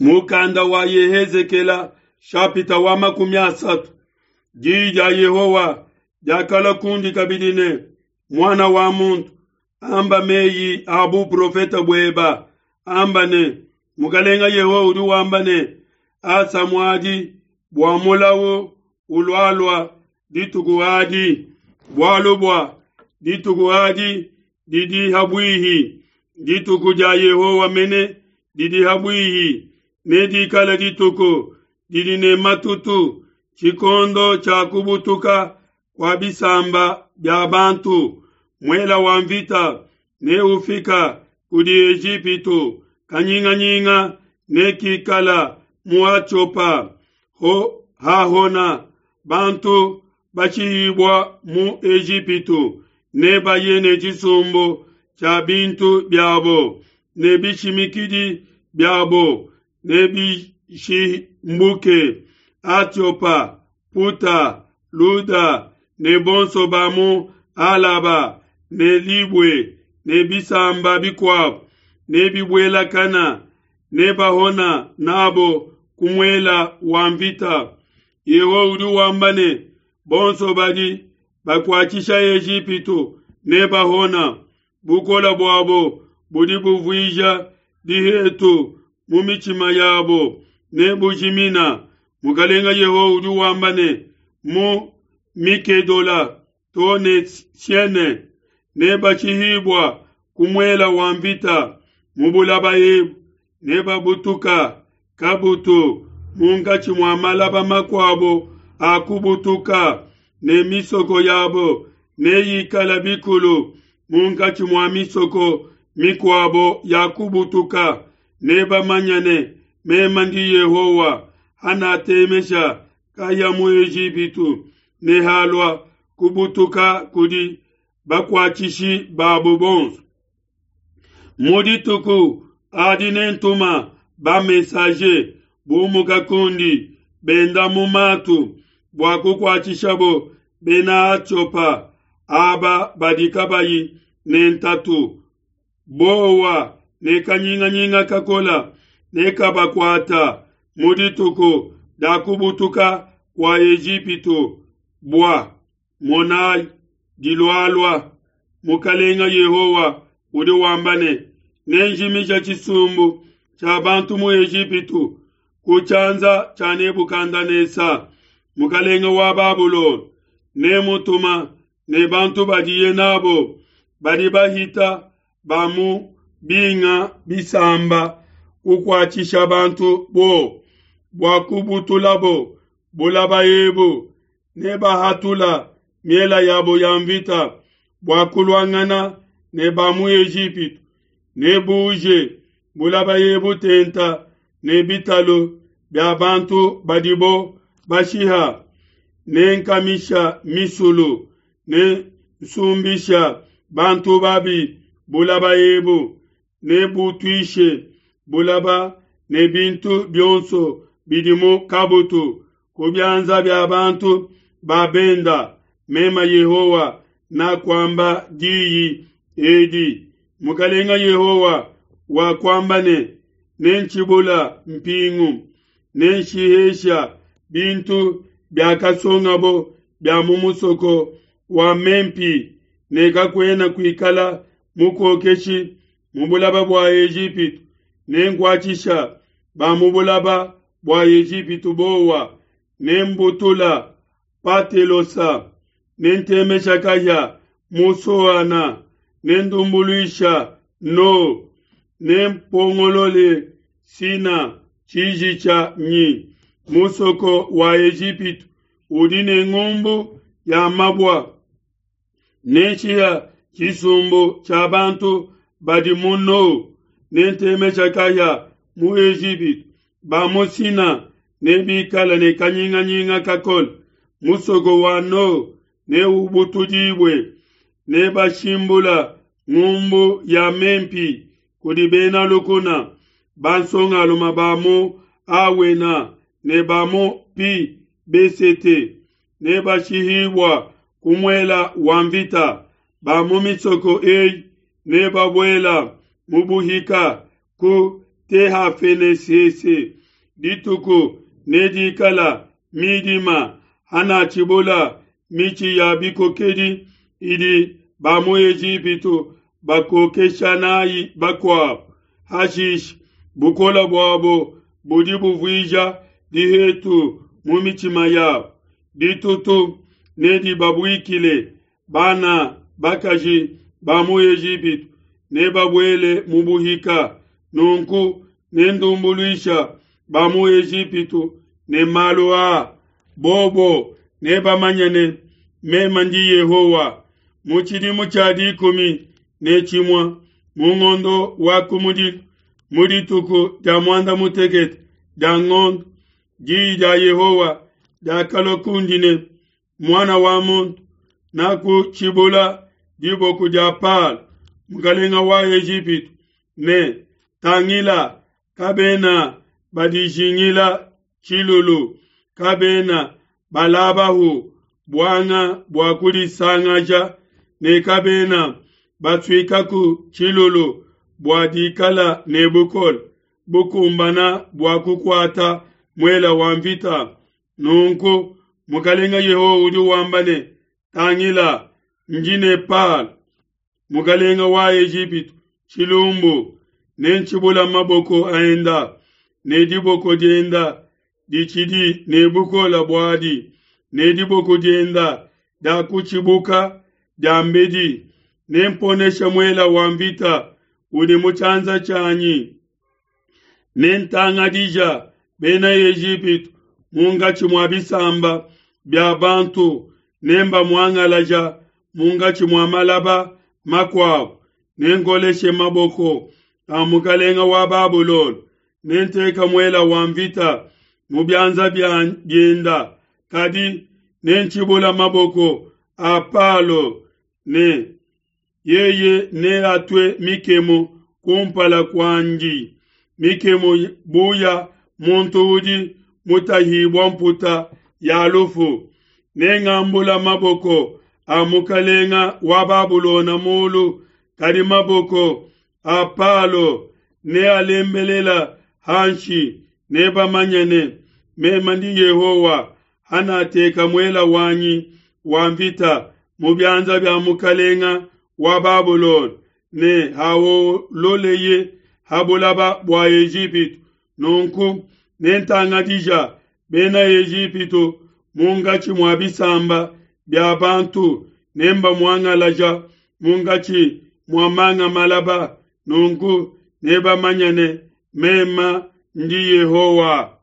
Mukanda wa Yehezekela shapita wa 30. Diyi dia Yehowa diakalua kundi kabidi ne, Muana wa muntu, amba meyi a buprofete bueba, amba ne, Mukalenga Yehowa udi wamba ne, Asa muadi bua mulawu ulualua dituku adi, bualu bua dituku adi didi habuihi, dituku dia Yehowa mene didi habuihi, nedikale dituku didi ne matutu, tshikondo tshia kubutuka kua bisamba bia bantu. Muela wa mvita neufika kudi Ejipitu, kanyinganyinga nekikala mu Atiopa. Ho hahona bantu bashihibua mu Ejipitu, nebaye ne tshisumbu tshia bintu biabo ne bishimikidi biabo nebishimbuke. Atiopa, Puta, Luda ne bonso ba mu Alaba ne Libue ne bisamba bikuabo nebibuelakana, nebahona nabo ku muela wa mvita. Yehowa udi wamba ne, bonso badi bakuatshisha Ejipitu nebahona. Bukole buabo budi buvuija dihetu mu mitshima yabo nebujimina. Mukalenga Yehowa udi wamba ne, mu Mikedola to ne Siene nebashihibua ku muela wa mvita mu bulaba ebu, nebabutuka kabutu munkatshi mua malaba makuabo a kubutuka, ne misoko yabo neyikala bikulu munkatshi mua misoko mikuabo ya kubutuka. Nebamanye ne, meme ndi Yehowa, hanatemesha kahia mu Ejipitu, ne halua kubutuka kudi bakuatshishi babo bonso. Mu dituku adi nentuma ba-messager bumuka kundi benda mu matu bua kukuatshishabo bena Atiopa aba badi kabayi ne ntatu. Bowa ne kanyinganyinga kakola nekabakuata mu dituku dia kubutuka kua Ejipitu. Bua monayi, dilualua. Mukalenga Yehowa udi wamba ne, nenjimija tshisumbu tshia bantu mu Ejipitu ku tshianza tshia Nebukadenesa, mukalenga wa Babulona, nemutuma ne bantu badiye nabo badi bahita ba mu binga bisamba kukuatshisha bantu bo bua kubutulabo bulaba ebu, nebahatula miela yabo ya mvita bua kuluangana ne ba mu Ejipitu, nebuuje bulaba ebu tenta ne bitalu bia bantu badibo bashiha, nenkamisha misulu, ne nsumbisha bantu babi bulaba ebu, nebutuishe bulaba ne bintu bionso bidi mu kabutu ku bianza bia bantu ba benda. Mema Yehowa nakuamba diyi edi. Mukalenga Yehowa wakuamba ne, nentshibula mpingu, nenshihesha bintu biakasongabo bia mu musoko wa Mempi, ne kakuena kuikala mukokeshi mu bulaba bua Ejipitu, nenkuatshisha ba mu bulaba bua Ejipitu bowa, nembutula Patelosa, nentemesha kahia mu Soana, nendumbuluisha No, nempongolole Sina tshiji tshia nyi. Musoko wa Ejipitu udi ne ngumbu ya mabua, nenshiha tshisumbu tshia bantu badi mu No, nentemesha kahia mu Ejipitu. Ba mu Sina nebikale ne kanyinganyinga kakole. Musoko wa No neubutudibue, nebashimbula ngumbu ya Mempi kudi bena lukuna. Bansongalume ba mu Awena ne ba mu Pi Besete nebashihibua ku muela wa mvita. Ba mu misoko eyi nebabuela mu buhika ku Tehafenesese. Dituku nedikala midima hanatshibula mitshi ya bikokedi idi ba mu Ejipitu bakokesha nayi bakuabo. Hashishe bukole buabo budi buvuija dihetu mu mitshima yabo. Ditutu nedibabuikile, bana bakaji ba mu Ejipitu nebabuele mu buhika. Nunku nendumbuluisha ba mu Ejipitu ne malu aa, bobo nebamanye ne, Meme ndi Yehowa. Mu tshidimu tshia 11 mu ngondo wa kumudilu, mu dituku dia muanda mutekete dia ngondo, diyi dia Yehowa diakalua kundi ne, Muana wa muntu, nakutshibula diboko dia Palo, mukalenga wa Ejipitu, ne tangila, kabena badijingila tshilulu, kabena balabahu buanga bua kudisangaja, ne kabena basuikaku tshilulu bua dikala ne bukole bukumbana bua kukuata muela wa mvita. Nunku Mukalenga Yehowa udi wamba ne, Tangila, ndi ne Palo, mukalenga wa Ejipitu, tshilumbu, nentshibula maboko enda, ne diboko dienda ditshidi ne bukole buadi, ne diboko dienda dia kutshibuka diambedi, nemponesha muela wa mvita udi mu tshianza tshianyi. Nentangadija bena Ejipitu munkatshi mua bisamba bia bantu, nembamuangalaja munkatshi mua malaba makuabu, nenkoleshe maboko a mukalenga wa Babulona, nenteka muela wa mvita mu bianza bienda, kadi nentshibula maboko a Palo ne yeye neatue mikemu kumpala kuandi, mikemu bu ya muntu udi mutahibua mputa ya lufu. Nengambula maboko a mukalenga wa Babulona mulu, kadi maboko a Palo nealembelela hanshi, nebamanye ne, meme ndi Yehowa, hanateka muela wanyi wa mvita mu bianza bia mukalenga wa Babulona, ne hawololeye ha bulaba bua Ejipitu. Nunku nentangadija bena Ejipitu munkatshi mua bisamba bia bantu, nembamuangalaja munkatshi mua manga malaba. Nunku nebamanye ne, meme ndi Yehowa.